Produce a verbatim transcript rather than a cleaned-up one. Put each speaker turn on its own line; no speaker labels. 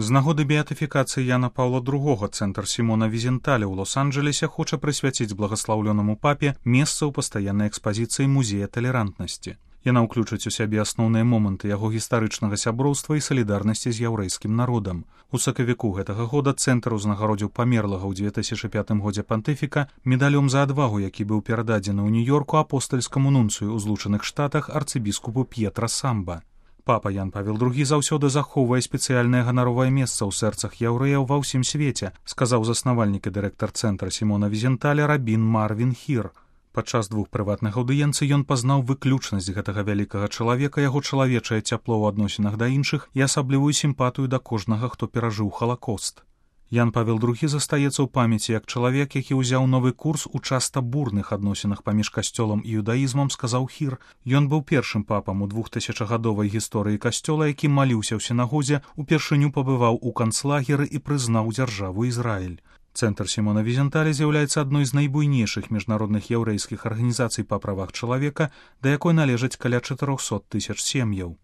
З нагоды беатыфікацыі Яна Паўла другога цэнтр Сімона Візенталя ў Лос-Анджелесе хоча прысвяціць благаслаўлёнаму папе месца ў пастаяннай экспазіцыі музея талерантнасці. Яна ўключыць у сябе асноўныя моманты яго гістарычнага сяброўства і салідарнасці з яўрэйскім народам. У сакавіку гэтага года цэнтр узнагародзіў памерлага ў дзве тысячы пятым годзе пантыфіка медалём за адвагу, які быў перададзены ў Нью-Йорку апостальскаму нунцыю ў Злучаных Штатах арцыбіскупу П'етра Самба. Папа Ян Павел другі заўсёды захоўвае спецыяльнае ганаровае месца ў сэрцах яўрэяў ва ўсім свеце, сказаў заснавальнік і дырэктар цэнтра Сімона Візенталя рабін Марвін Хір. Падчас двух прыватных аўдыенцый ён пазнаў выключнасць гэтага вялікага чалавека, яго чалавечае цяпло ў адносінах да іншых і асаблівую сімпатыю да кожнага, хто перажыў Халакост. Ян Павел другі застаецца ў памяці як чалавек, які ўзяў новы курс у часта бурных адносінах паміж касцёлам і юдаізмам, сказаў Хір. Ён быў першым папам у двухтысячагадовай гісторыі касцёла, які маліўся ў сінагозе, упершыню пабываў у канцлагеры і прызнаў дзяржаву Ізраіль. Цэнтр Сімона Візенталя з'яўляецца адной з найбуйнейшых міжнародных яўрэйскіх арганізацый па правах чалавека, да якой належаць каля чатырохсот тысяч сем'яў.